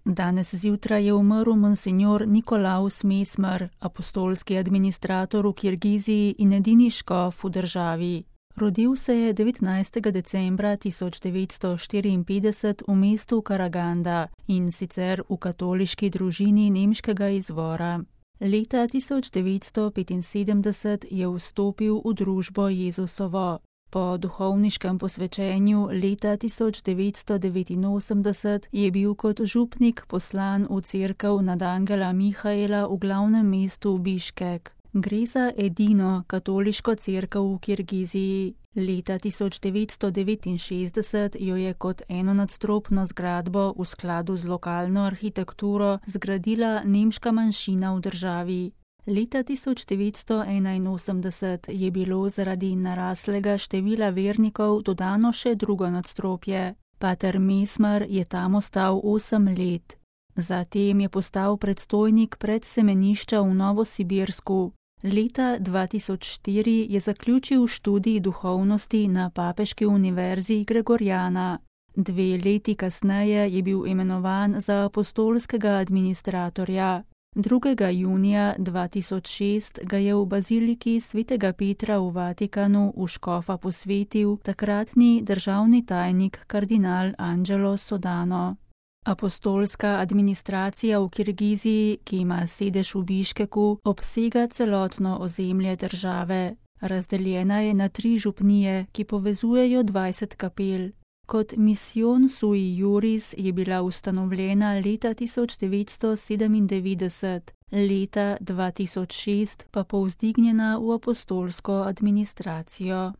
Danes zjutraj je umrl monsignor Nikolaus Mesmer, apostolski administrator v Kirgiziji in edini škof v državi. Rodil se je 19. decembra 1954 v mestu Karaganda in sicer v katoliški družini nemškega izvora. Leta 1975 je vstopil v družbo Jezusovo. Po duhovniškem posvečenju leta 1989 je bil kot župnik poslan v cerkev nad angela Mihaela v glavnem mestu Biškek. Gre za edino katoliško cerkev v Kirgiziji. Leta 1969 jo je kot enonadstropno zgradbo v skladu z lokalno arhitekturo zgradila nemška manjšina v državi. Leta 1981 je bilo zaradi naraslega števila vernikov dodano še drugo nadstropje. Pater Mesmer je tam ostal 8 let. Zatem je postal predstojnik predsemenišča v Novosibirsku. Leta 2004 je zaključil študij duhovnosti na Papeški univerzi Gregorjana. 2 leti kasneje je bil imenovan za apostolskega administratorja. 2. junija 2006 ga je v baziliki svetega Petra v Vatikanu v škofa posvetil takratni državni tajnik kardinal Angelo Sodano. Apostolska administracija v Kirgiziji, ki ima sedež v Biškeku, obsega celotno ozemlje države. Razdeljena je na 3 župnije, ki povezujejo 20 kapel. Kot misijon sui juris je bila ustanovljena leta 1997, leta 2006 pa povzdignjena v apostolsko administracijo.